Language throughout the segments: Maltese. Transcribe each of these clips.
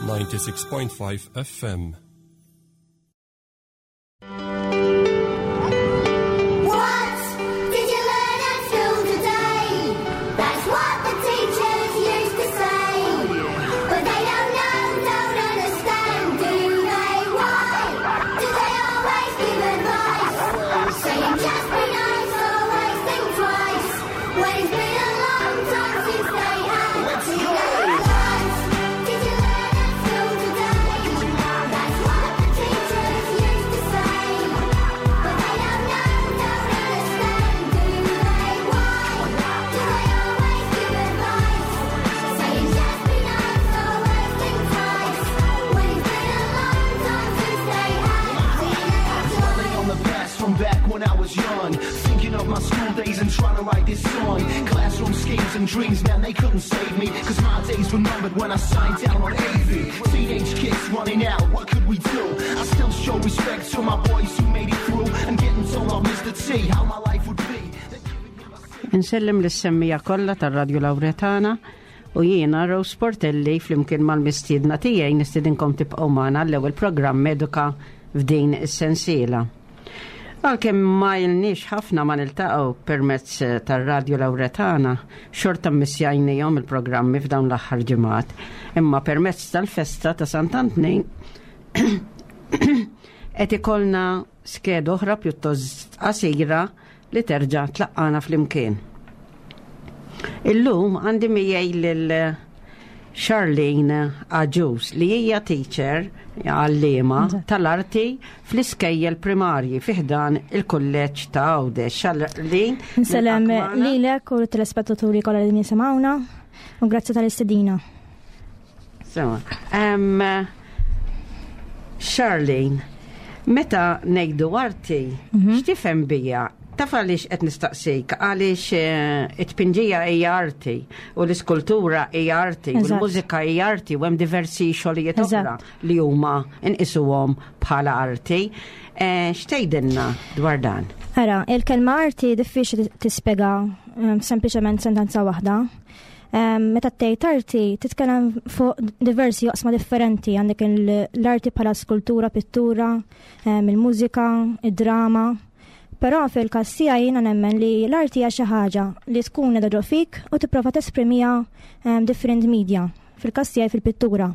96.5 FM. What did you learn at school today? That's what the teachers used to say. But they don't know, don't understand, do they? Why do they always give advice? Saying just be nice, always think twice. When it's been a long time since they had What did you learn at school today? That's what the teachers used to say. But they don't know, don't understand, do they? Why do they always give advice? Saying just be nice, always think twice. When it's been a long time since they had Dwelling on the past from back when I was young. Thinking of my school days and trying to write this song. Classroom schemes and dreams, man, they couldn't save me. Cause my days were numbered when I signed down on AV. Teenage kids running out, what could we do? I still show respect to my boys who made it through. And getting told off Mr. T how my life would be. Insellem lis-semmiegħa kollha tar-Radju Lawretana u jiena Rose Portelli flimkien mal-mistiedna tiegħi nistedinkom tibqgħu magħna l-ewwel programm Eduka f'din is-sensiela. Għalkemm ma ilniex ħafna ma niltaqgħu permezz tar-Radju Lawretana, xorta mmissjajnihom il-programmi f'dawn l-aħħar ġimgħat, imma permezz tal-festa ta' Sant'Antnin qed ikollna skeda oħra pjuttost qasira li terġa' tlaqqana flimkien. Illum għandi miegħi lil Charlene Agius li hija teacher għalliema tal-arti fl-iskejjel primarji fi ħdan il-kulleġġ ta' Għawdex. Charlene, Nsellem nilqak magħna. lilek u telespettaturi kollha li jisimgħuna u grazzi tal-istedina. Sewa. Em, Charlene, meta ngħidu arti, x'tifhem bija? Taf għaliex qed nistaqsik, għaliex eh, it-tpinġija hija arti u l-iskultura hija arti u Eżatt. l-mużika hija arti u hemm diversi xogħlijiet oħra Eżatt. li huma nqisuhom bħala arti. Eh, X'tgħidilna dwar dan? Ara, il-kelma arti diffiċli tispjega em, sempliċement sentenza waħda. Em, Meta tgħid arti titkellem fuq diversi oqsma differenti, għandek il- l-arti bħala skultura, pittura, em, il-mużika, id-drama. Però fil-każ tiegħi jiena nemmen li l-arti hija xi ħaġa li tkun qiegħda ġo fik u tipprova tesprimiha em, different media. Fil-każ tiegħi fil-pittura.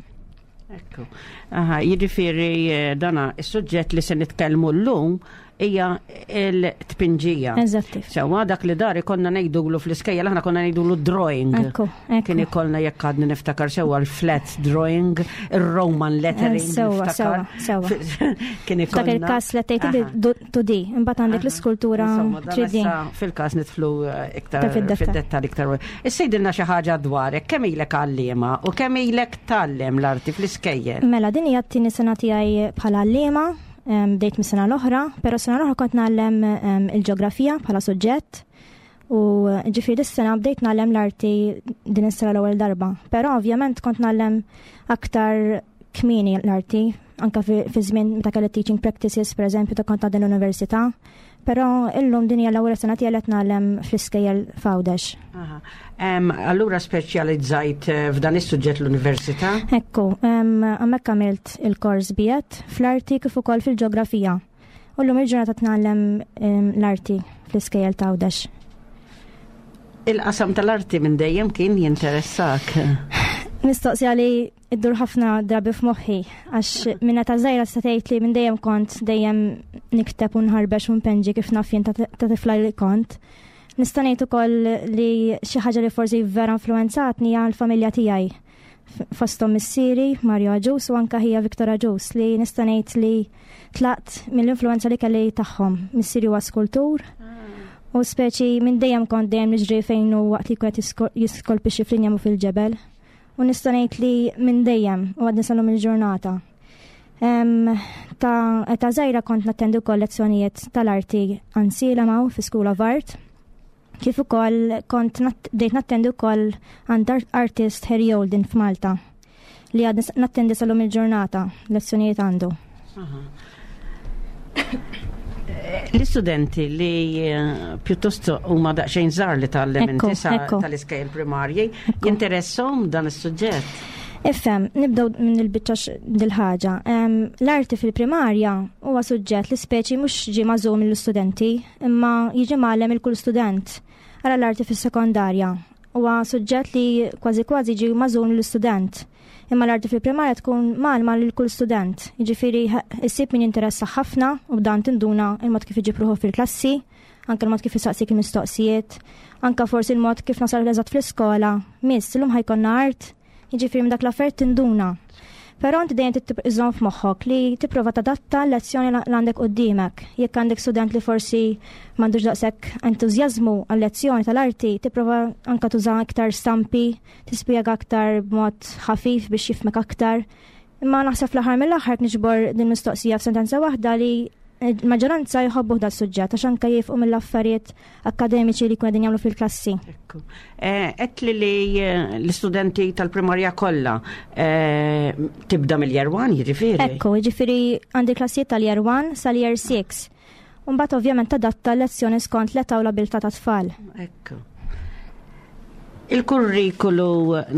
Ekku. Aha, jiġifieri eh, dana is-suġġett li se nitkellmu llum hija l-tpinġija. Eżatti. Sewa dak li dari konna ngħidulu fl-iskejjel aħna konna ngħidulu drawing. Ekku, ekku. Kien ikollna jekk għadni niftakar sewa l-flat drawing, il-Roman lettering. Eh, Sewa, niftakar. sewa, sewa. Kien F'dak ikollna. il-każ li tgħid Aha. 2D, imbagħad għandek l-iskultura Insomma, dan 3D. issa Fil-każ nidħlu eh, iktar Ta' fid-dettall. fid-dettall iktar. Issa jgħidilna xi ħaġa dwarek, kemm ilek għalliema u kemm ilek tgħallem l-arti fl-iskejjel? Mela, din hija t-tieni sena tiegħi bħala għalliema, em, bdejt mis-sena l-oħra, però sena l-oħra kont ngħallem em, il-ġeografija bħala suġġett u eh, ġifieri dis-sena bdejt ngħallem l-arti din is-sena l-ewwel darba. Però ovvjament kont ngħallem aktar kmieni l-arti, anka fi fi żmien meta kelli teaching practices, pereżempju, ta' kont għadni l-università. Però illum din hija l-ewwel sena tiegħi li qed ngħallem fl-iskejjel f'Għawdex. Aha. Em, Allura speċjalizzajt eh, f'dan is-suġġett l-università? Ekku, em, hemmhekk għamilt il-kors bijet fl-arti kif ukoll fil-ġeografija. U llum il-ġurnata tnallem em, l-arti fl-iskejjel ta' Għawdex. Il-qasam tal-arti minn dejjem kien jinteressak. Mistoqsija li iddur ħafna drabi f'moħħi għax minna ta' żgħira se tgħid li minn dejjem kont dejjem nikteb u nħarbex u npenġi kif naf jien ta' ta' tifla li kont. Nista' ngħid ukoll li xi ħaġa li forsi vera influenzatni hija l-familja tiegħi. F- Fosthom missieri Mario Agius u anka ħija Victor Agius li nista' ngħid li tlaqt mill-influenza li kelli tagħhom. Missieri huwa skultur u speċi minn dejjem kont dejjem niġri fejn hu waqt li kien jiskolpixxi fl-injam u fil-ġebel. U nista' ngħid li minn dejjem u għadni sal-lum il-ġurnata. Em, Ta' ta' żgħira kont nattendi wkoll lezzjonijiet tal-arti għand fi School of Art. Kif ukoll kont nat- bdejt nattendi wkoll għand art- artist Harry Olden f'Malta li għadni s- nattendi sal-lum il-ġurnata lezzjonijiet għandu. L-istudenti li eh, pjuttost huma daqsxejn żgħar li tgħallem Ekku, inti sa ekku. tal-iskejjel primarji, jinteresshom dan is-suġġett. Ifhem, nibdew minn il-biċċa dil-ħaġa. L-arti fil-primarja huwa suġġett li speċi mhux ġie magħżul mill-istudenti, imma jiġi mgħallem il kull student. Ara l-arti fis-sekondarja huwa suġġett li kważi kważi ġie magħżul mill-istudent. Imma l-arti fil-primarja tkun mgħallma lil kull student. Jiġifieri issib min jinteressa ħafna u b'dan tinduna il-mod kif iġib ruħu fil-klassi, anke l-mod kif isaqsik il-mistoqsijiet, anke forsi l-mod kif nasal eżatt fl-iskola. Miss, illum ħa jkollna art, jiġifieri minn dak l-affarijiet tinduna. Però inti dejjem trid iżżomm f'moħħok li tipprova tadatta l-lezzjoni li għandek quddiemek. Jekk għandek student li forsi m'għandux daqshekk entużjażmu għal-lezzjoni tal-arti, tipprova anke tuża iktar stampi, tispjega aktar b'mod ħafif biex jifhmek aktar. Imma naħseb fl-aħħar mill-aħħar niġbor din mistoqsija f'sentenza waħda li l-maġġoranza jħobbu da suġġett għax anke jifqu mill-affarijiet akkademiċi li jkunu qegħdin jagħmlu fil-klassi. Ekku. Għedtli li l-istudenti tal-primarja kollha tibda mill-year 1, jiġifieri? Ekku, jiġifieri għandi klassijiet tal-year 1 sal-year 6. Mbagħad ovvjament tadatta l-lezzjoni skont l-età u l-abilità tat-tfal. Ekku. Il-kurrikulu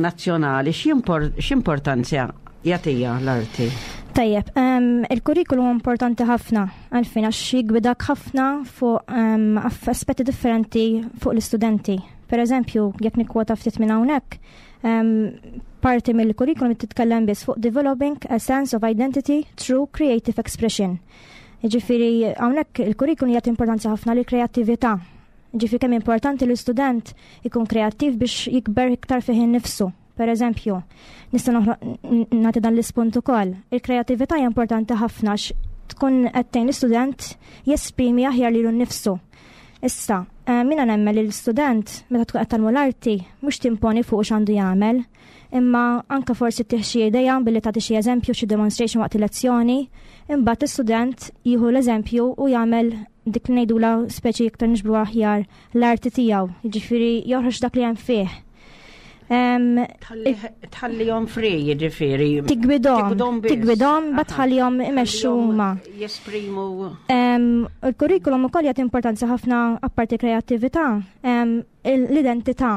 nazzjonali x'importanza jagħtiha l-arti? Tajjeb, il-kurrikulu huwa importanti ħafna għalfejn għax jigwidak ħafna fuq aspetti differenti fuq l-istudenti. Per eżempju, jekk nikkwota ftit minn hawnhekk, parti mill-kurrikulum titkellem biss fuq developing a sense of identity through creative expression. Jiġifieri hawnhekk il-kurrikulum jagħti importanza ħafna lill kreattività. Ġifieri kemm importanti li l-student ikun kreattiv biex jikber iktar fih innifsu. Per eżempju, nista' nagħti dan l-ispunt ukoll. Il-kreattività hija importanti ħafna għax tkun qed tgħin l-istudent jesprimi aħjar lilu nnifsu. Issa, jiena nemmen li l-istudent meta tkun qed tgħallmu l-arti mhux timponi fuq x'għandu jagħmel, imma anke forsi ttih xi idea billi tagħti xi eżempju, xi demonstration waqt il-lezzjoni, imbagħad l-istudent jieħu l-eżempju u jagħmel dik li ngħidula speċi iktar nixbru aħjar l-arti tiegħu, jiġifieri joħroġ dak li hemm fih. Tħallihom free, jiġifieri. Tigwidhom, tigwidhom, but tħallihom imexxu huma. Jesprimu. Il-kurrikulum ukoll jagħti importanza ħafna apparti kreattività, l-identità.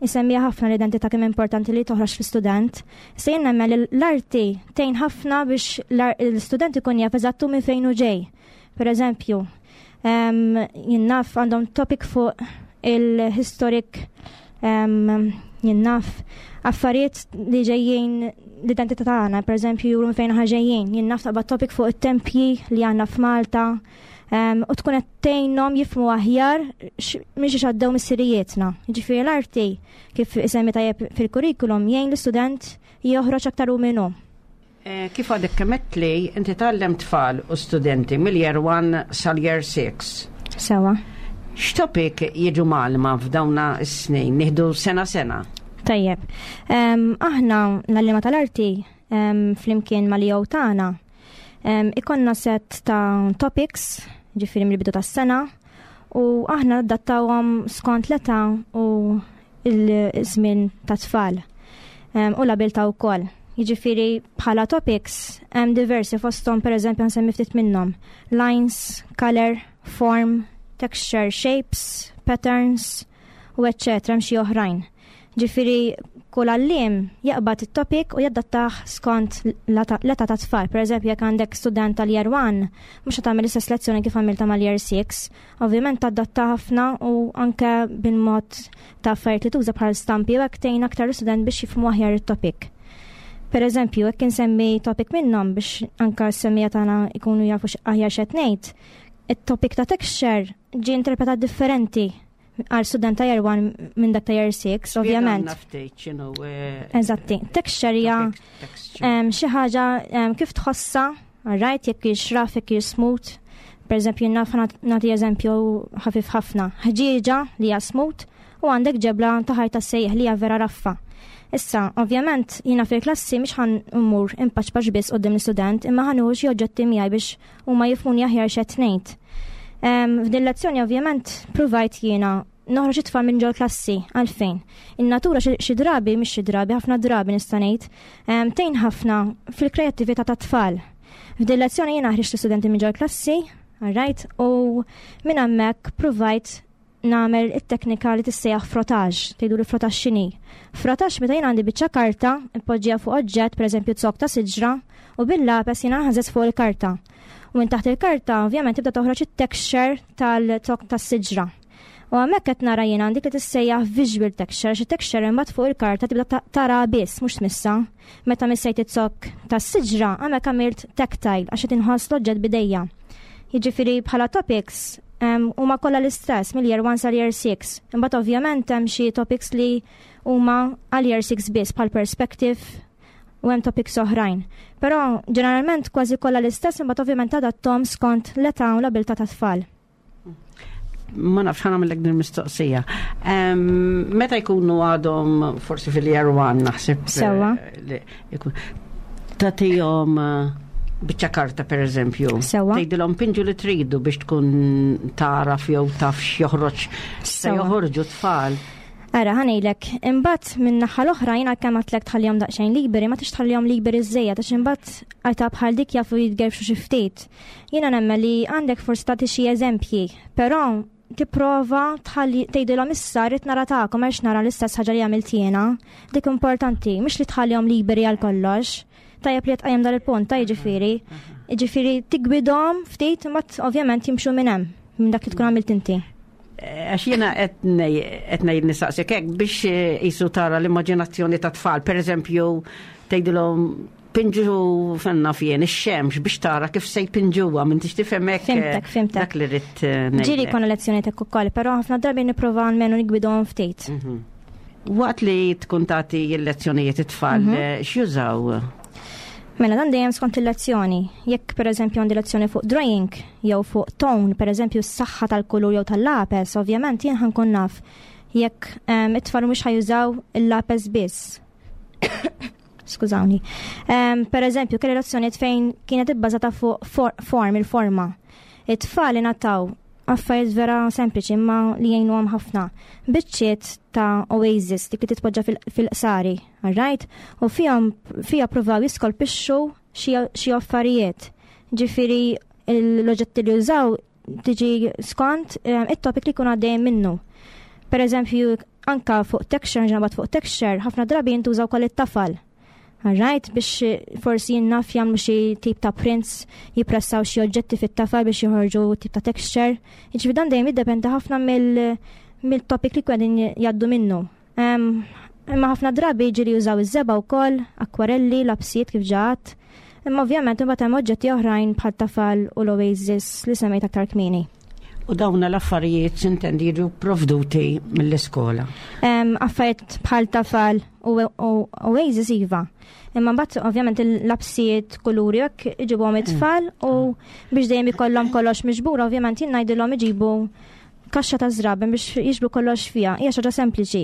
Isemmija ħafna l-identità kemm importanti li toħroġ fl-istudent. Se jien nemmen li l-arti tgħin ħafna biex l-istudent ikun jaf eżattu minn fejn hu ġej. Per eżempju, jien naf għandhom topic fuq il-historic, jien naf affarijiet li ġejjin l-identità tagħna, per eżempju, juru minn fejn aħna ġejjin. Jien naf taqbad topic fuq it-tempji li għandna f'Malta, u tkun qed tgħinhom jifhmu aħjar minn xiex għaddew missirijietna. Jiġifieri l-arti kif isemmi tajjeb fil-kurrikulum jgħin l-istudent joħroġ aktar hu minnu. Kif għadek kemm għedtli, inti tgħallem tfal u studenti mill-year 1 sal-year 6. Sewa. X'topic jiġu mgħallma f'dawna s-snin? Nieħdu sena sena. Tajjeb. Aħna l-għalliema tal-arti flimkien mal-EO tagħna ikollna set ta' topics, ġifieri mill-bidu tas-sena, u aħna adattawhom skont l-età u il-żmien ta' tfal u l-abilità wkoll. Jiġifieri bħala topics hemm diversi fosthom, pereżempju nsemmi ftit minnhom. Lines, color, form, texture, shapes, patterns u eċċetera, hemm xi oħrajn. Ġifieri kull għalliem jaqbad it-topic u jadattah skont l-età ta' tfal. Per eżempju, jekk għandek student tal-year 1, mhux tagħmel l-istess lezzjoni kif għamilta mal-year 6. Ovvjament tadatta ħafna u anke bil-mod ta' affarijiet li tuża bħal stampi u hekk tgħin aktar l-istudent biex jifhmu aħjar it-topic. Per eżempju, jekk insemmi topic minnhom biex anke s-semmiegħa tagħna ikunu jafu aħjar x'qed ngħid, it-topic ta' texture ġie interpretat differenti għal student ta' year 1 minn dak ta' year 6, ovvjament. Spjegawna ftit x'inhu, Eżatti. Texture hija, topic texture. xi ħaġa kif tħossa, right, jekk hix rough, jekk hix smooth. Per eżempju, naf nagħti eżempju ħafif ħafna. Ħġieġa li hija smooth u għandek ġebla ta' ħajta sejjaħ li hija vera raffa. Issa, ovvjament, jiena fil-klassi mhix ħan immur impaċpaċ biss quddiem l-istudent, imma ħa nieħu xi oġġetti miegħi biex huma jifhmuni aħjar x'qed ngħid. F'din lezzjoni ovvjament provajt jiena noħroġ it-tfal minn ġol klassi, għalfejn. In-natura xi drabi, mhix xi drabi, ħafna drabi nista' ngħid, tgħin ħafna fil-kreattività tat-tfal. F'din lezzjoni jiena ħriġt l-istudenti minn ġol klassi, all right, u minn hemmhekk provajt nagħmel it-teknika li tissejjaħ frottage, tgħidu li frottage x'inhi. Frottage meta jien għandi biċċa karta, npoġġiha fuq oġġett, pereżempju zokk ta' siġra, u bil-lapes jiena nħażeż fuq il-karta. U minn taħt il-karta ovvjament tibda toħroġ it-texture tal-zokk tas-siġra. U hemmhekk qed nara jiena dik li tissejjaħ visual texture, xi texture imbagħad fuq il-karta tibda tara biss mhux tmissa. Meta missejt iz-zokk tas-siġra hemmhekk għamilt tactile għax qed inħoss l-oġġett bidejja. Jiġifieri bħala topics huma kollha l-istess mill-year 1 sal-year 6. Imbagħad ovvjament hemm xi topics li huma għal year 6 biss bħal perspective u hemm topics oħrajn. Però ġeneralment kważi kollha l-istess imbagħad ovvjament adattom skont l-età u l-abilità tat-tfal. Ma nafx ħana mill din mistoqsija. Meta jkunu għadhom forsi fil-year one naħseb. Sewa. Eh, Tatihom eh, biċċa karta per eżempju. Sewa. Tgħidilhom pinġu li tridu biex tkun taraf jew taf x'joħroġ se joħorġu tfal. Ara, ħanejlek, imbagħad minn naħa l-oħra jiena kemm għatlek tħallihom daqsxejn liberi, ma tix tħallihom liberi żejjed għax imbagħad għajta bħal dik jafu jitgerfxu xi ftit. Jiena nemmen li għandek forsi tagħti xi eżempji, però tipprova tħalli tgħidilhom issa rrid nara tagħkom għax nara l-istess ħaġa li għamilt jiena. Dik importanti, mhux li tħallihom liberi għal kollox. Tajjeb li tqajjem dan il-punt, ta' jiġifieri. Jiġifieri tigwidhom ftit imma ovvjament jimxu minn hemm, minn dak li tkun għamilt inti. Għax jiena qed ngħid nistaqsik hekk biex eh, jisu tara l-immaġinazzjoni ta' tfal, pereżempju tgħidilhom pinġu fenna fien ix-xemx biex tara kif se jpinġuha minn tix tifhem hekk. Eh, fimtek, fimtek. Dak li rrid eh, ngħid. Ġieli konna lezzjoni tek ukoll, però ħafna drabi nipprova almenu nigwidhom ftit. Mhm. Waqt li tkun tagħti l-lezzjonijiet it-tfal, mhm. x'jużaw? Mela dan dejjem skont il-lezzjoni. Jekk pereżempju għandi lezzjoni fuq drawing jew fuq tone, pereżempju s-saħħa tal-kulur jew tal-lapes, ovvjament jien ħankun naf jekk ehm, it-tfal mhux ħajużaw il-lapes biss. Skużawni. Ehm, pereżempju, kelli lezzjonijiet fejn kienet ibbażata fuq form, il-forma. It-tfal ingħataw affarijiet vera sempliċi imma li jgħinuhom ħafna. Biċċiet ta' oasis dik li titpoġġa fil-qsari, alright? U fihom fiha provaw jiskolpixxu xi affarijiet. Ġifieri l-oġġetti li użaw tiġi skont eh, it-topic li jkun għaddejjem minnu. Per eżempju, anka fuq texture, ġnabat fuq texture, ħafna drabi jintużaw koll it-tafal. Alright, biex eh, forsi jinnaf jagħmlu xi tip ta' prints, jippressaw xi oġġetti fit-tafal biex joħorġu tip ta' texture. Jiġifieri dan dejjem jiddependi ħafna mill-topic li qegħdin jgħaddu minnu. Imma ħafna drabi ġieli jużaw iż-żebgħa wkoll, akwarelli, lapsijiet kif ġaħat. Imma ovvjament imbagħad hemm oġġetti oħrajn bħal tafal u l-oasis li semmejt aktar kmieni. U dawn l-affarijiet sintendi jiġu provduti mill-iskola. Affarijiet bħal tafal u oasis iva. Imma mbagħad ovvjament il-lapsijiet kuluri hekk iġibhom it-tfal u biex dejjem ikollhom kollox miġbur ovvjament jien ngħidilhom iġibu kaxxa ta' żraben biex jiġbru kollox fiha. Hija xi ħaġa sempliċi.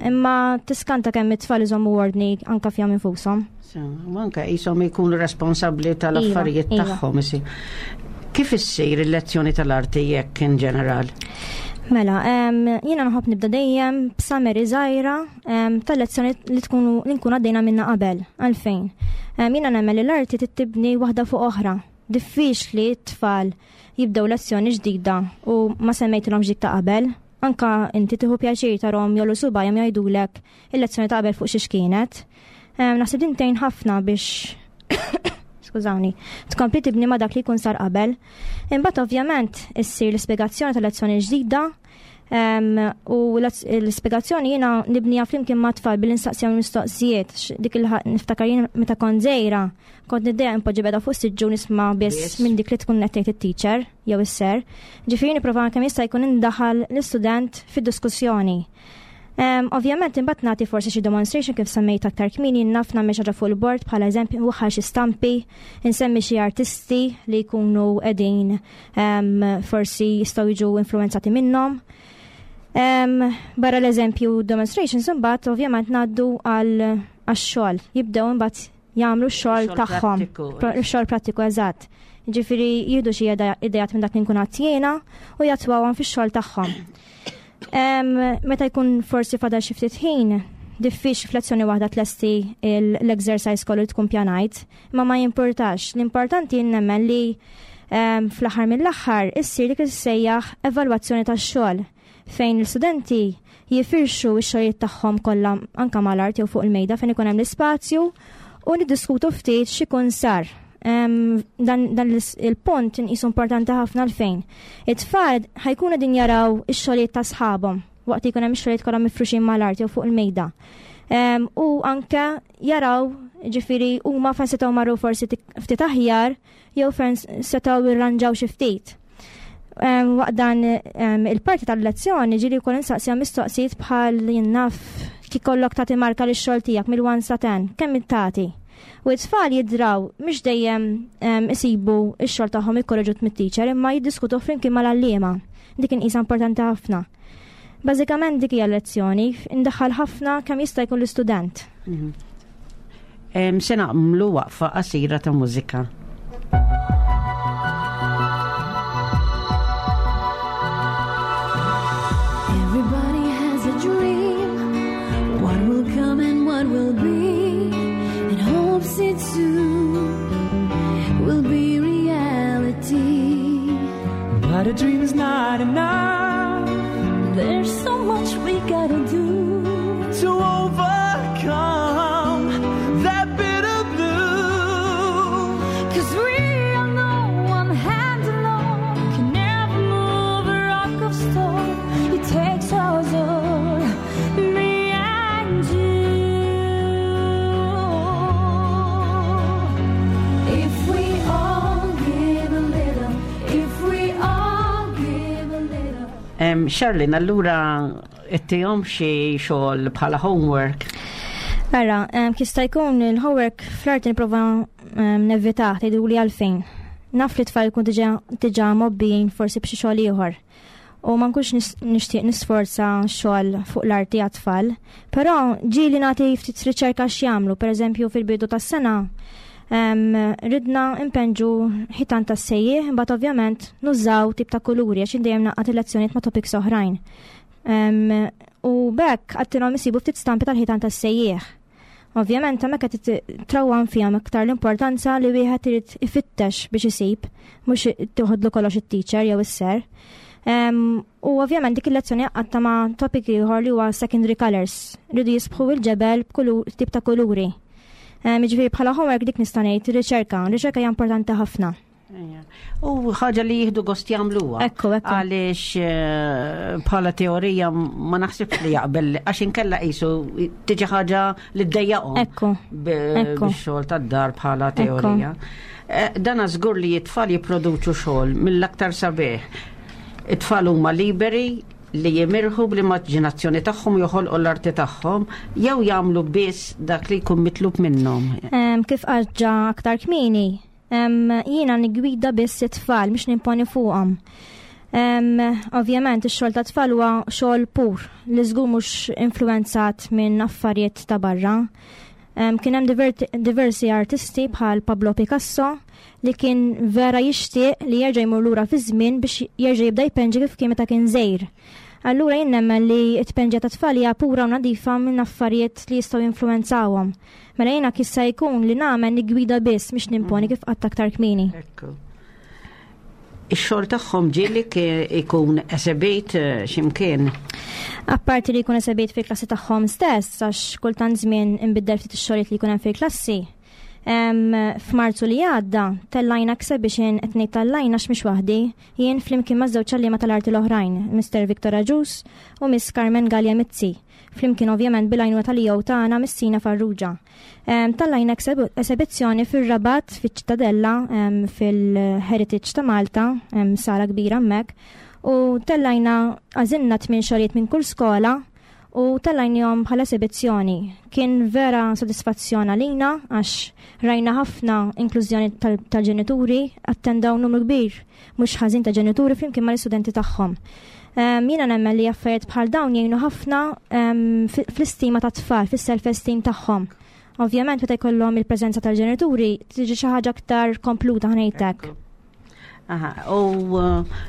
Imma tiskanta kemm it-tfal iżommu ordni anka fihom infushom. U anke qishom jkunu responsabbli tal-affarijiet iva, iva. tagħhom. Kif issir il-lezzjoni tal-arti jekk in ġeneral? Mela, jiena nħobb nibda dejjem b'summary żgħira tal-lezzjoni li tkunu li nkun għaddejna minna qabel. Għalfejn? Jiena nemmen li l-arti tittibni waħda fuq oħra. Diffiċli t-tfal jibdew lezzjoni ġdida u ma semmejtilhomx dik ta' qabel. Anka inti tieħu pjaċir tarhom jollu subajhom jgħidulek il-lezzjoni ta' qabel fuq xiex kienet. Naħseb din tgħin ħafna biex skużawni, tkompli tibni ma' dak li jkun sar qabel. Imbagħad ovvjament issir l-ispjegazzjoni tal-lezzjoni ġdida u l-ispjegazzjoni jiena nibnija flimkien ma' tfal billi nistaqsihom mistoqsijiet dik il niftakar jien meta kont żgħira kont niddejja impoġġi beda fuq siġġu nisma' biss minn dik li tkun qed tgħid it-teacher jew is-ser. Ġifieri nipprova kemm jista' jkun indaħal l-istudent fid-diskussjoni. Ovvjament imbagħad nagħti forsi xi demonstration kif semmejt aktar kmieni naf nagħmel xi ħaġa fuq il-bord bħala eżempju nwaħħal xi stampi, insemmi xi artisti li jkunu qegħdin forsi jistgħu jiġu influenzati minnhom. Barra l-eżempju demonstrations imbagħad ovvjament ngħaddu għal għax-xogħol. Jibdew imbagħad jagħmlu x-xogħol tagħhom. Xogħol prattiku eżatt. Ġifieri jieħdu xi idejat minn dak li nkun għadt jiena u jatwawhom fix-xogħol tagħhom. Meta jkun forsi fadal xi ftit ħin, diffiċli f'lezzjoni waħda tlesti l-exercise kollu li tkun pjanajt, imma ma jimpurtax. L-importanti nemmen li fl-aħħar mill-aħħar issir dik li sejjaħ evalwazzjoni tax-xogħol. fejn l-istudenti jifirxu x-xogħlijiet tagħhom kollha anke mal-art jew fuq il-mejda fejn ikun hemm l-ispazju u niddiskutu ftit x'ikun sar. Dan, dan il-punt inqisu importanti ħafna għalfejn. It-tfal ħajkunu din jaraw ix-xogħlijiet ta' sħabhom waqt li jkun hemm ix-xogħlijiet kollha mifruxin mal-art jew fuq il-mejda. U anke jaraw ġifieri huma fejn setgħu marru forsi ftit aħjar jew fejn setgħu irranġaw xi ftit. Waqt dan il-parti tal-lezzjoni ġieli wkoll insaqsija mistoqsijiet bħal jien naf kif kollok tagħti marka lix-xogħol tiegħek mill-1 sa 10, kemm tagħti? U t-tfal jidraw mhux dejjem isibu x-xogħol tagħhom ikkorreġut mit-teacher imma jiddiskutu flimkien mal-għalliema. Dik inqisha importanti ħafna. Bażikament dik hija lezzjoni, indaħħal ħafna kemm jista' jkun l-istudent. Se nagħmlu waqfa qasira ta' mużika. Everybody has a dream. What will come and what will be, and hopes it soon will be reality. But a dream is not enough There's so much we gotta do. to overcome that bitter blue. Cause we all know one hand alone can never move a rock of stone. It takes us all, me and you. If we all give a little, if we all give a little. Charlene, allura ittihom xi xogħol bħala homework. Ara, kista jkun il-homework fl-arti nipprova nevita tgħidu li għalfejn. Naf li tfal jkun diġà mobbijin forsi b'xi xogħol ieħor. U ma nkunx nixtieq nisforza xogħol fuq l-arti għat-tfal, però ġieli nagħti ftit riċerka x'jagħmlu, pereżempju fil-bidu tas-sena ridna impenġu ħitan tas-sejjieħ, imbagħad ovvjament nużaw tip ta' kuluri għax dejjem naqgħad il-lezzjonijiet ma' topics oħrajn. U b'hekk għattilhom isibu ftit stampi tal-ħitan tas-sejjieħ. Ovvjament hemmhekk qed trawwan fihom iktar l-importanza li wieħed irid ifittex biex isib, mhux toħodlu kollox it-teacher jew is-ser. U ovvjament dik il-lezzjoni għatta ma' topic ieħor li huwa secondary colors. Rridu jisbħu il-ġebel b'kull tip ta' kuluri. Jiġifieri bħala homework dik nista' ngħid riċerka, riċerka hija importanti ħafna. Ejja. U ħaġa li jieħdu gost jagħmluha. Ekku, ekku. Għaliex bħala teorija ma naħsibx li jaqbel, għax inkella qisu tiġi ħaġa li ddejjaqhom. Ekku. Ekku. Bix-xogħol tad-dar bħala teorija. Dana żgur li t-tfal jipproduċu xogħol mill-aktar sabiħ. It-tfal huma liberi li jimirħu bl-immaġinazzjoni tagħhom joħolqu l-arti tagħhom jew jagħmlu biss dak li jkun mitlub minnhom. Kif għadġa aktar kmieni, jiena nigwida biss it-tfal mhux nimponi fuqhom. Ovvjament ix-xogħol ta' tfal huwa xogħol pur li żgur mhux influenzat minn affarijiet ta' barra. Kien hemm diversi artisti bħal Pablo Picasso li kien vera jixtieq li jerġa' jmur lura fi żmien biex jerġa' jibda jpenġi kif kien meta kien żgħir. Allura jien nemmen li t-tpenġija ta' tfal hija pura u nadifa minn affarijiet li jistgħu jinfluwenzawhom. Mela jiena kissa jkun li nagħmel nigwida biss mhix nimponi kif qatt aktar kmieni. Ekku. Ix-xogħol tagħhom ġieli ikun esebit x'imkien. Apparti li jkun esebit fil-klassi tagħhom stess, għax kultant żmien inbiddel ftit ix-xogħlijiet li jkun hemm fil-klassi. F'Marzu li għadda tellajna exhibition qed ngħid tellajna għax mhix waħdi, jien flimkien ma' żewġ għalliema tal-arti l-oħrajn, Mr. Victor Agius u Miss Carmen Gallia Mizzi. Flimkien ovvjament bil-għajnuna tal-EO tagħna Missina Farrugia. Tellajna esebizzjoni fir-Rabat, fiċ-Ċittadella, fil-Heritage ta' Malta, sala kbira hemmhekk, u tellajna għażilna 8 xogħlijiet minn kull skola u tellajnihom bħala esebizzjoni. Kien vera sodisfazzjon għalina għax rajna ħafna inklużjoni tal-ġenituri, attendaw numru kbir mhux ħażin ta' ġenituri flimkien mal-istudenti tagħhom. Jiena nemmen li affarijiet bħal dawn jgħinu ħafna fl-istima ta' tfal, fis-self-esteem tagħhom. Ovvjament meta jkollhom il-preżenza tal-ġenituri tiġi xi ħaġa aktar kompluta ħnejtek. Aha, u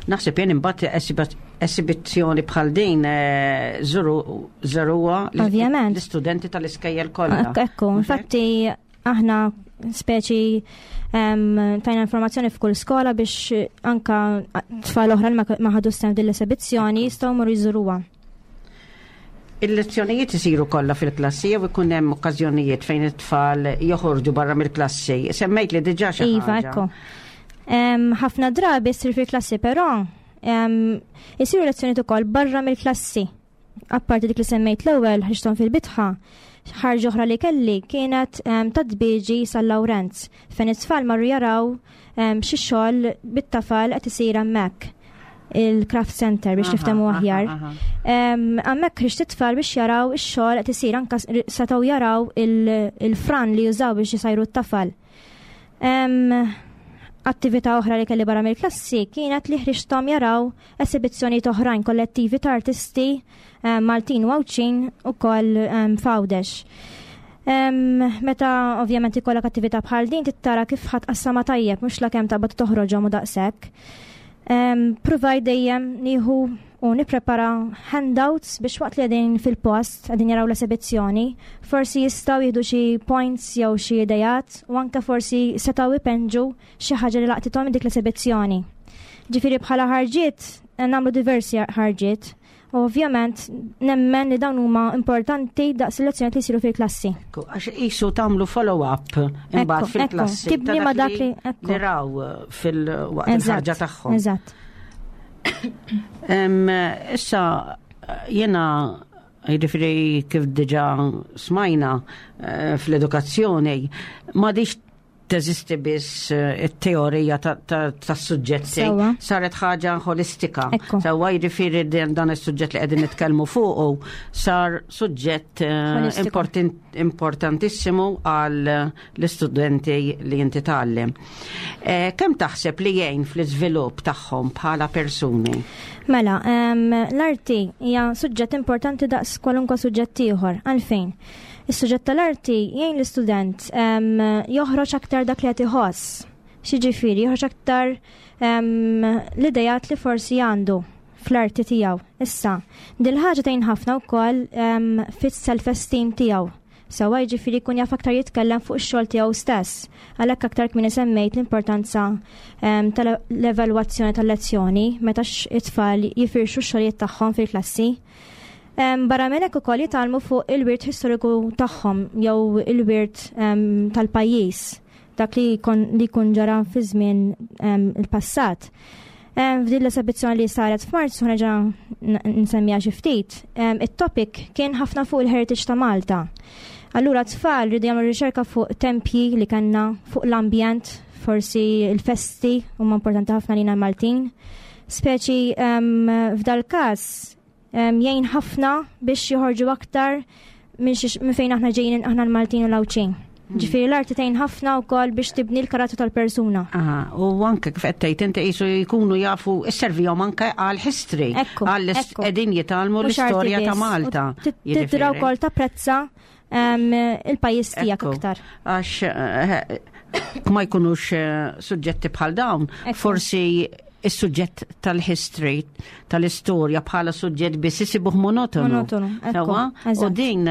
naħseb jien imbagħad esibizzjoni bħal din żuruha Ovvjament. l-istudenti tal-iskejjel kollha. Ekku, Mhux hekk? infatti aħna Speċi tajna informazzjoni f'kull skola biex anka tfal oħra li ma ħadu sehem din l-esebizzjoni jistgħu jmorru jżuruha. Il-lezzjonijiet isiru kollha fil-klassi jew ikun hemm okkażjonijiet fejn it-tfal joħorġu barra mill-klassi. Semmejt li diġà xi Iva, ħaġa. ekku. Ħafna drabi ssir fil-klassi, però isiru lezzjonijiet ukoll barra mill-klassi. Apparti dik li semmejt l-ewwel ħriġthom fil-bitħa, ħarġa oħra li kelli kienet ta' Tbieġi San Lawrenz, fejn it-tfal marru jaraw xi xogħol bit-tafal qed isir hemmhekk, il-craft center biex niftehmu aħjar. Hemmhekk ħriġt it-tfal biex jaraw ix-xogħol qed isir, anke setgħu jaraw il-fran li jużaw biex isajru t-tafal. Attività oħra li kelli barra mill-klassi kienet li ħriġthom jaraw esibizzjonijiet oħrajn kollettivi ta' artisti Maltin u Għawdxin ukoll f'Għawdex. Meta ovvjament ikollok attività bħal din tittara kif ħadd qassama tajjeb, mhux la kemm taqbad toħroġhom u daqshekk. Pruvaj dejjem nieħu u nipprepara handouts biex waqt li qegħdin fil-post, qegħdin jaraw l-esibizzjoni, forsi jistgħu jieħdu xi points jew xi idejat u anke forsi setgħu ipenġu xi ħaġa li laqtithom minn dik l-esibizzjoni. Ġifieri bħala ħarġiet nagħmlu diversi ħarġiet. U ovvjament nemmen li dawn huma importanti daqs il-lezzjonijiet li jsiru fil-klassi. Ekku, għax qisu tagħmlu follow-up imbagħad fil-klassi. Tibni ta' ma dak li, ekku. li raw fil-waqt il-ħarġa tagħhom. Issa jiena jiġifieri kif diġà smajna fl-edukazzjoni m'għadix teżisti biss it-teorija tas-suġġetti. Saret ħaġa ħolistika. Sewwa, jiġifieri dan is-suġġett li qegħdin nitkellmu fuqu sar suġġett Ħolistiku. importantissimu għal l-istudenti li inti tgħallem. Kemm taħseb li jgħin fl-iżvilupp tagħhom bħala persuni? Mela, l-arti hija suġġett importanti daqs kwalunkwe suġġett ieħor. Għalfejn? Is-suġġett tal-arti jgħin l-istudent joħroġ aktar dak li qed iħoss. Xiġifieri, joħroġ aktar l-idejat li forsi għandu fl-arti tiegħu. Issa, dil-ħaġa tgħin ħafna wkoll fis-self-esteem tiegħu. Sewwa, jiġifieri jkun jaf aktar jitkellem fuq ix-xogħol tiegħu stess. Għalhekk aktar kmieni semmejt l-importanza tal-evalwazzjoni tal-lezzjoni meta it-tfal jifirxu x-xogħlijiet tagħhom fil-klassi. Barra minn hekk ukoll jitgħallmu fuq il-wirt historiku tagħhom jew il-wirt tal-pajjiż, dak li jkun ġara fi żmien il-passat. F'din l-esibizzjoni li saret f'Marzu, nerġa' nsemmiha xi ftit, it-topic kien ħafna fuq il-heritage ta' Malta. Allura tfal rridu jagħmlu riċerka fuq tempji li kellna, fuq l-ambjent, forsi il-festi huma importanti ħafna lina Maltin. Speċi f'dal każ jgħin ħafna biex joħorġu aktar minn fejn aħna ġejjin, aħna l-Maltin u l-Għawdxin. Ġifieri l-arti tgħin ħafna wkoll biex tibni l-karattru tal-persuna. Aha, u anke kif qed tgħid inti qisu jkunu jafu isservihom anke għal history, għal qegħdin jitgħallmu Mhux arti l-istorja ta' biss. Malta. U tidra Jiġifieri. wkoll tapprezza il-pajjiż tiegħek aktar. Għax ma jkunux suġġetti bħal dawn, forsi is-suġġett tal-history, tal-istorja bħala suġġett biss isibuh monotonu. Monotonu, ekku, Sewwa? U eżatt. din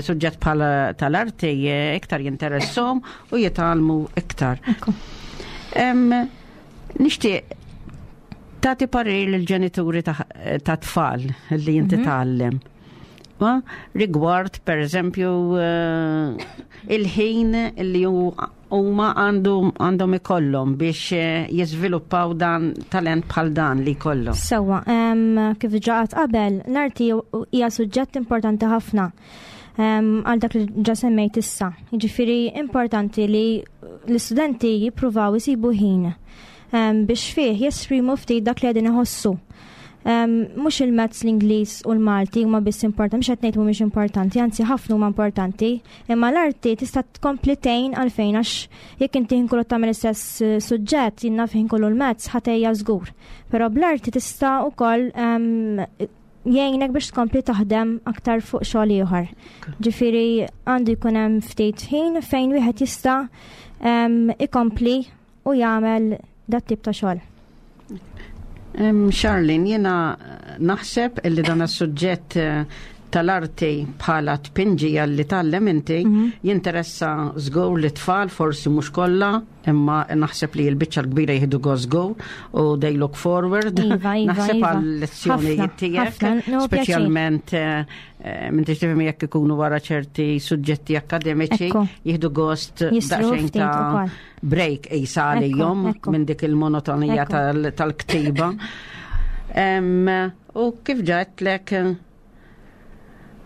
suġġett bħala tal-arti iktar jinteressom u jitgħallmu iktar. Nixtieq tagħti parir lill-ġenituri ta' tfal li inti tgħallem. Ma rigward, per eżempju, il-ħin li huma għandhom ikollhom biex jiżviluppaw dan talent bħal dan li jkollhom. Sewwa, kif diġà għedt qabel, l-arti hija suġġett importanti ħafna għal dak li ġa semmejt issa. Jiġifieri importanti li l-istudenti jippruvaw isibu ħin biex fih jesprimu ftit dak li qegħdin iħossu. Mhux il-maths, l-Ingliż u l-Malti huma biss importanti, mhux qed ngħid mhumiex importanti, anzi ħafna huma importanti, imma l-arti tista' tkompli tgħin għalfejn, għax jekk inti ħin kollu tagħmel istess suġġett, jien naf ħin kollu l-maths ħatejja żgur. Però bl-arti tista' wkoll jgħinek biex tkompli taħdem aktar fuq xogħol ieħor. Ġifieri għandu jkun hemm ftit ħin fejn wieħed jista' ikompli u jagħmel dat tip ta' xogħol. Charlene, jiena naħseb illi dan is-suġġett tal-arti bħala tpinġija li tgħallem inti jinteressa żgur li tfal forsi mhux kollha imma naħseb li l-biċċa l-kbira jieħdu gost żgur u they look forward. Iva, iva, Naħseb iva. għal lezzjonijiet Ħafna, tiegħek, ħafna, no, pjaċir. speċjalment minn tifhem jekk ikunu wara ċerti suġġetti akademiċi Ekku. jieħdu gost Jistrieħu daqsxejn ftit ta' ukoll. break isa Ekku, għalihom ekku. minn dik il-monotonija Ekku. tal-ktiba. U kif ġatlek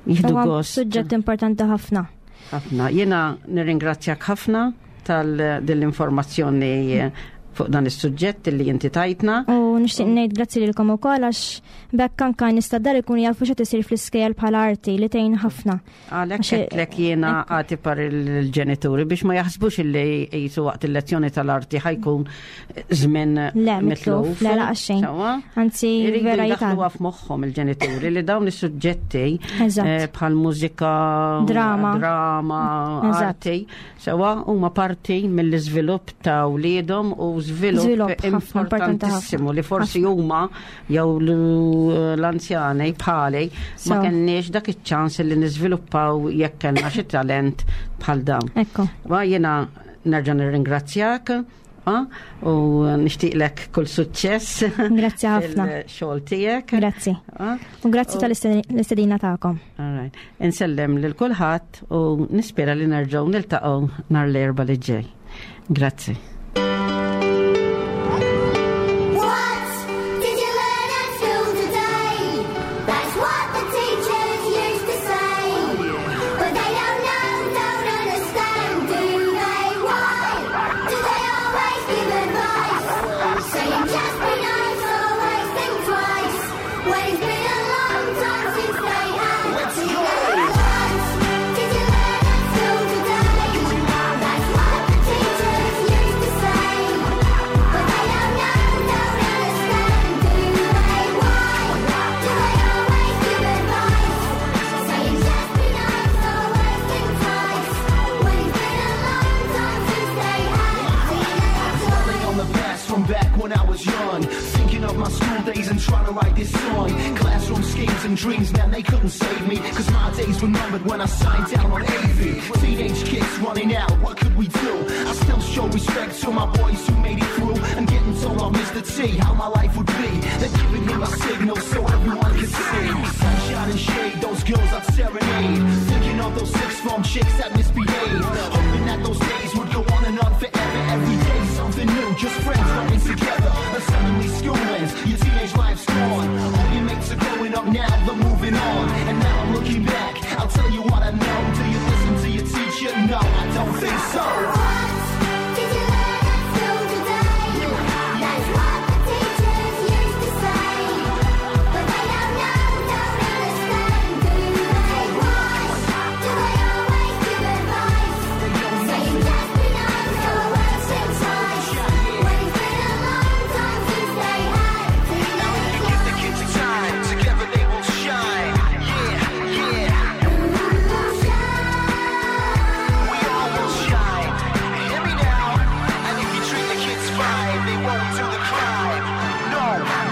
jieħdu Huwa gost suġġett importanti ħafna. ħafna. Jiena nirringrazzjak ħafna tal-informazzjoni fuq dan is-suġġett li inti tajtna. U nixtieq ngħid grazzi lilkom ukoll għax bekk anke nista' dar ikunu jafu x'qed isir fl-iskejjel bħala arti li tgħin ħafna. Għalek Għax- għetlek jiena għati par il-ġenituri biex ma jaħsbux illi jisu waqt il-lezzjoni tal-arti ħajkun żmien Le, mitluf, mitluf. le, laqas xejn. Sewwa? Anzi, Iridu vera jdaħħluha jital. f'moħħhom il-ġenituri li dawn is-suġġetti Eżatt. bħal mużika, Drama. drama, Eżatt. arti, sewa huma parti mill-iżvilupp ta' wliedhom u żvilupp Żvilupp ħafna, importanti ħafna. importantissimu li forsi huma jew l-anzjani bħali ma Sewa. kenniex dak iċ-ċans li niżviluppaw jekk kellna xi talent bħal dawn. Ekku. Wa jiena nerġa' nirringrazzjak u nixtieqlek kull suċċess. Grazzi ħafna. Fil-xogħol tiegħek. Grazzi. Ah, U grazzi tal-istedina tagħkom. all right. Insellem lil kulħadd u nispera li nerġgħu niltaqgħu nhar l-erba' li ġej. Grazzi. What did you learn at school today? That's what the teachers used to say. But they don't know, don't understand, do they? Why do they always give advice? Saying just be nice, always think twice. When it's been a long time since they had. Let's go! What did you learn at school today? That's what the teachers used to say. But they don't know, don't understand, do they? Why do they always give advice? Saying just be nice, always think twice. When it's been a long time since they had teenage Dwelling on the past from back when I was young. Thinking of my school days and trying to write this song. Classroom schemes and dreams, man, they couldn't save me. Cause my days were numbered when I signed down on AV. Teenage kids running out, what could we do? I still show respect to my boys who made it through. And getting told off Mr. T how my life would be. They're giving him a signal so everyone could see. Sunshine and shade, those girls I'd serenade. Thinking of those six form chicks that misbehaved. Hoping that those days would go on and on forever. Every day something new, just friends running together. And suddenly school ends, your teenage life's gone. All your mates are growing up now, they're moving on. And now I'm looking back, I'll tell you what I know. Do you listen to your teacher? No, I don't think so. What did you learn at school today? That's what the teachers used to say. But they don't know, don't understand, do they? Why do they always give advice? Saying just be nice, always think twice. When it's been a long time since they had teenage Give the life. kids time, together they will shine. Yeah, yeah. We all will shine. Hear me now. And if you treat the kids fine, they won't do the crime. No,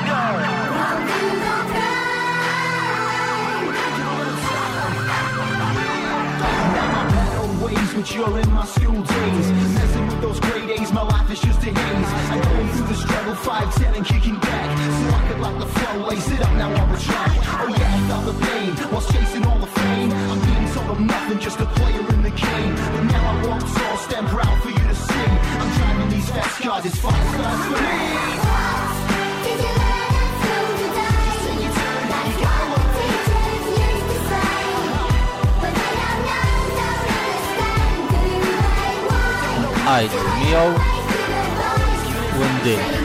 no. Won't do the crime. Now my bad old ways, which you're in my school days. Messing with those grade A's, my life is just a haze. I'm going through the struggle, 5'10 and kicking back. So I could lock the flow, lace it up now on the track. Oh yeah, I felt the pain whilst chasing all the fame. I'm being told I'm nothing, just a player in the game. But now I walk tall, stand proud for you to see. I'm driving these fast cars, it's five stars for me. What did you learn at school today? That's what the teachers used to say. But they don't know, don't understand, do they? Why Għajdu miegħu do they always give advice? u ndil. Saying